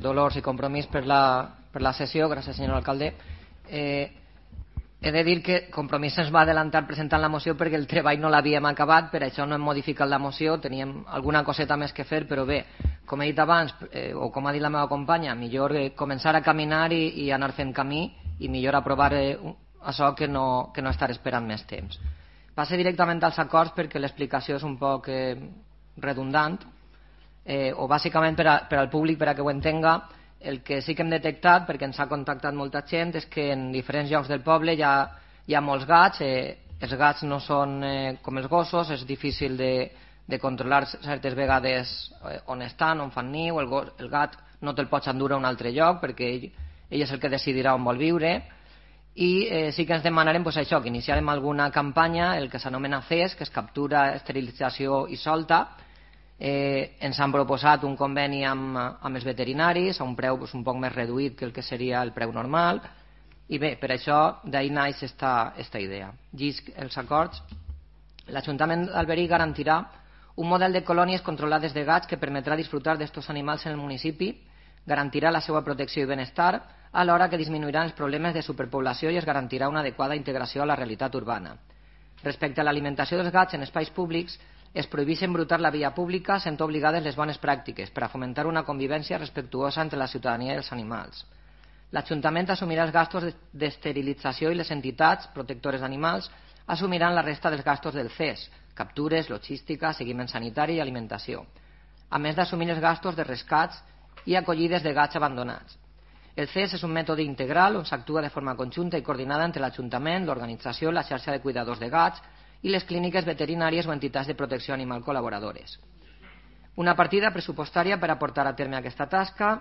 Dolors i Compromís per la sessió. Gràcies, senyor alcalde. He de dir que Compromís ens va adelantar presentant la moció perquè el treball no l'havíem acabat, per això no hem modificat la moció, teníem alguna coseta més que fer, però bé, com he dit abans, o com ha dit la meva companya, millor començar a caminar i anar fent camí, i millor aprovar això que no estar esperant més temps. Passe directament als acords perquè l'explicació és un poc redundant, o bàsicament per al públic, per a que ho entenga. El que sí que hem detectat, perquè ens ha contactat molta gent, és que en diferents llocs del poble hi ha molts gats. Els gats no són com els gossos, és difícil de controlar certes vegades on estan, on fan niu. El gat no te'l pots endur a un altre lloc perquè ell és el que decidirà on vol viure. I sí que ens demanarem això, que iniciarem alguna campanya, el que s'anomena CES, que és captura, esterilització i solta. Ens han proposat un conveni amb els veterinaris a un preu un poc més reduït que el que seria el preu normal, i bé, per això d'ahir naix esta idea. Llisc els acords. L'Ajuntament d'Alberic garantirà un model de colònies controlades de gats que permetrà disfrutar d'estos animals en el municipi, garantirà la seva protecció i benestar, alhora que disminuirà els problemes de superpoblació i es garantirà una adequada integració a la realitat urbana. Respecte a l'alimentació dels gats en espais públics, es prohibeix embrutar la via pública sent obligades les bones pràctiques per a fomentar una convivència respectuosa entre la ciutadania i els animals. L'Ajuntament assumirà els gastos d'esterilització i les entitats protectores d'animals assumiran la resta dels gastos del CES, captures, logística, seguiment sanitari i alimentació, a més d'assumir els gastos de rescats i acollides de gats abandonats. El CES és un mètode integral on s'actua de forma conjunta i coordinada entre l'Ajuntament, l'organització, la xarxa de cuidadors de gats i les clíniques veterinàries o entitats de protecció animal col·laboradores. Una partida pressupostària per a portar a terme aquesta tasca,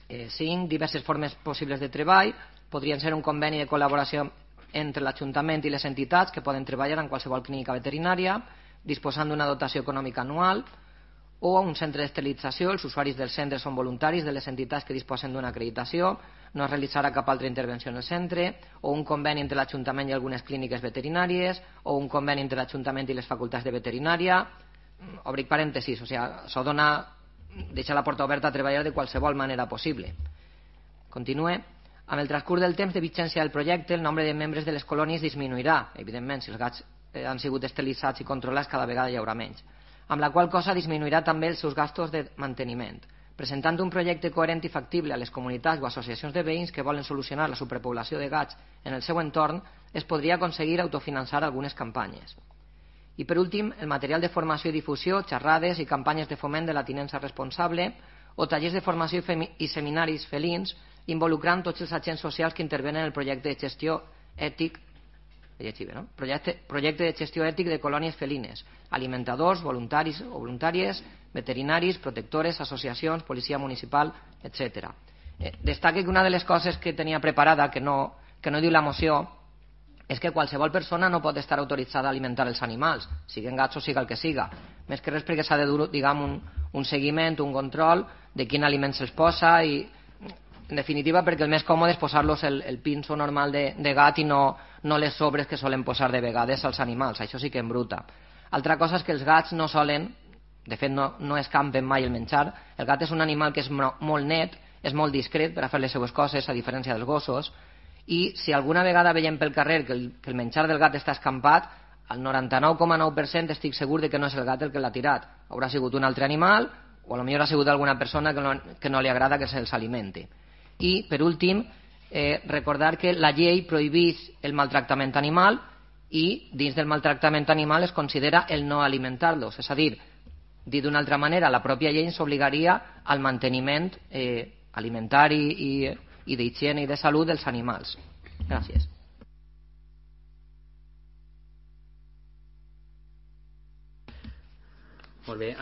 5 diverses formes possibles de treball, podrien ser un conveni de col·laboració entre l'Ajuntament i les entitats que poden treballar en qualsevol clínica veterinària, disposant d'una dotació econòmica anual, o un centre d'esterilització. Els usuaris dels centres són voluntaris de les entitats que disposen d'una acreditació, no es realitzarà cap altra intervenció en el centre, o un conveni entre l'Ajuntament i algunes clíniques veterinàries, o un conveni entre l'Ajuntament i les facultats de veterinària. Obric parèntesis, o sigui, això deixa la porta oberta a treballar de qualsevol manera possible. Continue. Amb el transcurs del temps de vigència del projecte, el nombre de membres de les colònies disminuirà. Evidentment, si els gats han sigut esterilitzats i controlats, cada vegada hi haurà menys. Amb la qual cosa disminuirà també els seus gastos de manteniment. Presentant un projecte coherent i factible a les comunitats o associacions de veïns que volen solucionar la superpoblació de gats en el seu entorn, es podria aconseguir autofinançar algunes campanyes. I per últim, el material de formació i difusió, xerrades i campanyes de foment de la tinença responsable o tallers de formació i seminaris felins involucrant tots els agents socials que intervenen en el projecte de gestió ètic projecte de gestió ètic de colònies felines, alimentadors, voluntaris o voluntàries, veterinaris, protectores, associacions, policia municipal, etc. Destaque que una de les coses que tenia preparada, que no diu la moció, és que qualsevol persona no pot estar autoritzada a alimentar els animals, siguin gats o siga el que siga, més que res perquè s'ha de dur, diguem, un seguiment, un control de quin aliment se'ls posa i, en definitiva, perquè el més còmode és posar-los el pinso normal de gat i no les sobres que solen posar de vegades als animals. Això sí que embruta. Altra cosa és que els gats no solen, de fet no escampen mai el menjar. El gat és un animal que és molt net, és molt discret per a fer les seves coses, a diferència dels gossos, i si alguna vegada veiem pel carrer que el menjar del gat està escampat, al 99,9% estic segur de que no és el gat el que l'ha tirat. Haurà sigut un altre animal o potser ha sigut alguna persona que no li agrada que se'ls alimenti. I, per últim, recordar que la llei prohibeix el maltractament animal i dins del maltractament animal es considera el no alimentar-los. És a dir, dit d'una altra manera, la pròpia llei ens obligaria al manteniment alimentari i d'higiene i de salut dels animals. Gràcies. Molt bé.